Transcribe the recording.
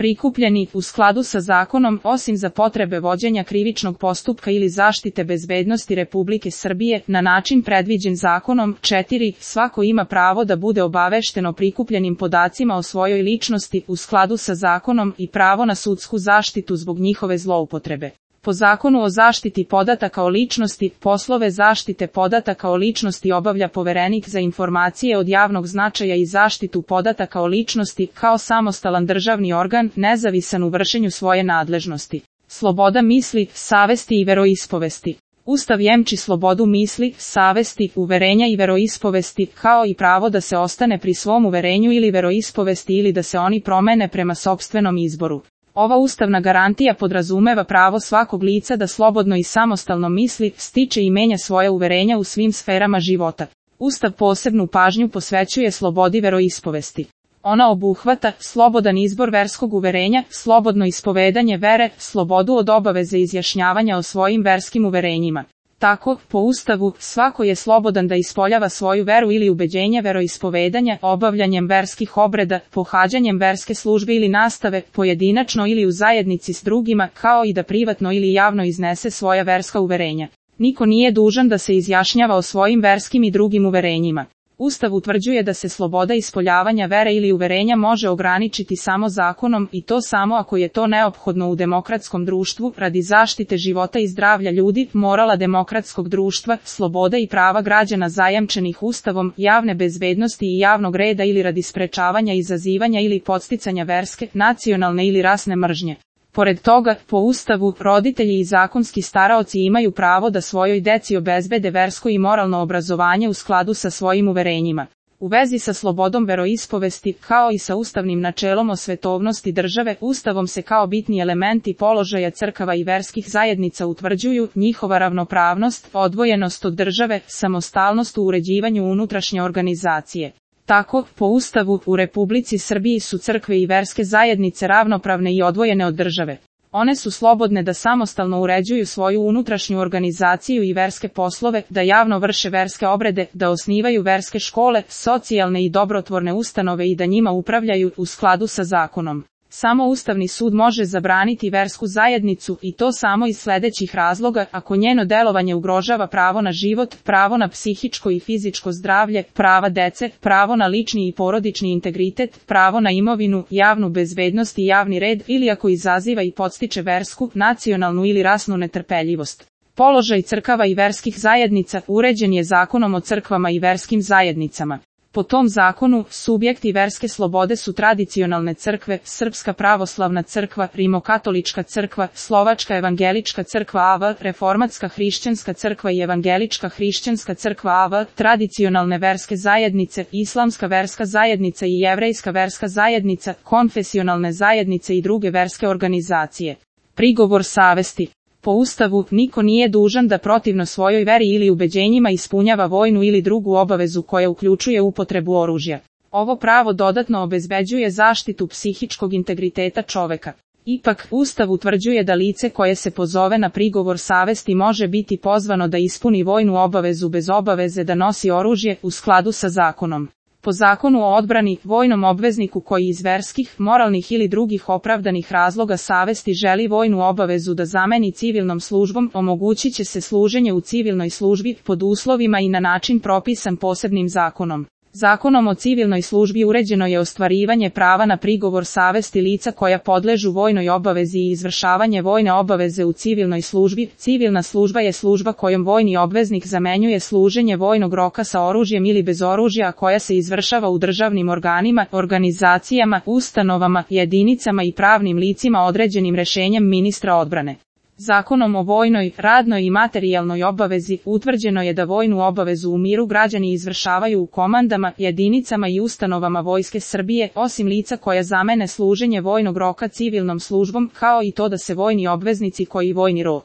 prikupljeni u skladu sa zakonom, osim za potrebe vođenja krivičnog postupka ili zaštite bezbednosti Republike Srbije, na način predviđen zakonom. 4. Svako ima pravo da bude obavešteno prikupljenim podacima o svojoj ličnosti u skladu sa zakonom i pravo na sudsku zaštitu zbog njihove zloupotrebe. Po Zakonu o zaštiti podataka o ličnosti, poslove zaštite podataka o ličnosti obavlja Poverenik za informacije od javnog značaja i zaštitu podataka o ličnosti kao samostalan državni organ, nezavisan u vršenju svoje nadležnosti. Sloboda misli, savesti i veroispovesti. Ustav jemči slobodu misli, savesti, uverenja i veroispovesti, kao i pravo da se ostane pri svom uverenju ili veroispovesti ili da se oni promene prema sopstvenom izboru. Ova ustavna garantija podrazumeva pravo svakog lica da slobodno i samostalno misli, stiče i menja svoja uverenja u svim sferama života. Ustav posebnu pažnju posvećuje slobodi veroispovesti. Ona obuhvata slobodan izbor verskog uverenja, slobodno ispovedanje vere, slobodu od obaveze izjašnjavanja o svojim verskim uverenjima. Tako, po Ustavu, svako je slobodan da ispoljava svoju veru ili ubeđenje veroispovedanja, obavljanjem verskih obreda, pohađanjem verske službe ili nastave, pojedinačno ili u zajednici s drugima, kao i da privatno ili javno iznese svoja verska uverenja. Niko nije dužan da se izjašnjava o svojim verskim i drugim uverenjima. Ustav utvrđuje da se sloboda ispoljavanja vere ili uverenja može ograničiti samo zakonom i to samo ako je to neophodno u demokratskom društvu, radi zaštite života i zdravlja ljudi, morala demokratskog društva, sloboda i prava građana zajamčenih Ustavom, javne bezbednosti i javnog reda ili radi sprečavanja, izazivanja ili podsticanja verske, nacionalne ili rasne mržnje. Pored toga, po Ustavu, roditelji i zakonski staraoci imaju pravo da svojoj deci obezbede versko i moralno obrazovanje u skladu sa svojim uverenjima. U vezi sa slobodom veroispovesti, kao i sa ustavnim načelom o svetovnosti države, Ustavom se kao bitni elementi položaja crkava i verskih zajednica utvrđuju njihova ravnopravnost, odvojenost od države, samostalnost u uređivanju unutrašnje organizacije. Tako, po Ustavu, u Republici Srbiji su crkve i verske zajednice ravnopravne i odvojene od države. One su slobodne da samostalno uređuju svoju unutrašnju organizaciju i verske poslove, da javno vrše verske obrede, da osnivaju verske škole, socijalne i dobrotvorne ustanove i da njima upravljaju u skladu sa zakonom. Samo Ustavni sud može zabraniti versku zajednicu i to samo iz sledećih razloga: ako njeno delovanje ugrožava pravo na život, pravo na psihičko i fizičko zdravlje, prava dece, pravo na lični i porodični integritet, pravo na imovinu, javnu bezbednost i javni red, ili ako izaziva i podstiče versku, nacionalnu ili rasnu netrpeljivost. Položaj crkava i verskih zajednica uređen je Zakonom o crkvama i verskim zajednicama. Po tom zakonu, subjekti verske slobode su tradicionalne crkve, Srpska pravoslavna crkva, Rimokatolička crkva, Slovačka evangelička crkva AV, Reformatska hrišćanska crkva i Evangelička hrišćanska crkva AV, tradicionalne verske zajednice, Islamska verska zajednica i Jevrejska verska zajednica, konfesionalne zajednice i druge verske organizacije. Prigovor savesti. Po Ustavu, niko nije dužan da protivno svojoj veri ili ubeđenjima ispunjava vojnu ili drugu obavezu koja uključuje upotrebu oružja. Ovo pravo dodatno obezbeđuje zaštitu psihičkog integriteta čoveka. Ipak, Ustav utvrđuje da lice koje se pozove na prigovor savesti može biti pozvano da ispuni vojnu obavezu bez obaveze da nosi oružje u skladu sa zakonom. Po Zakonu o odbrani, vojnom obvezniku koji iz verskih, moralnih ili drugih opravdanih razloga savesti želi vojnu obavezu da zameni civilnom službom, omogućit će se služenje u civilnoj službi pod uslovima i na način propisan posebnim zakonom. Zakonom o civilnoj službi uređeno je ostvarivanje prava na prigovor savesti lica koja podležu vojnoj obavezi i izvršavanje vojne obaveze u civilnoj službi. Civilna služba je služba kojom vojni obveznik zamenjuje služenje vojnog roka sa oružjem ili bez oružja, koja se izvršava u državnim organima, organizacijama, ustanovama, jedinicama i pravnim licima određenim rešenjem ministra odbrane. Zakonom o vojnoj, radnoj i materijalnoj obavezi utvrđeno je da vojnu obavezu u miru građani izvršavaju u komandama, jedinicama i ustanovama Vojske Srbije, osim lica koja zamene služenje vojnog roka civilnom službom, kao i to da se vojni obveznici koji vojni rok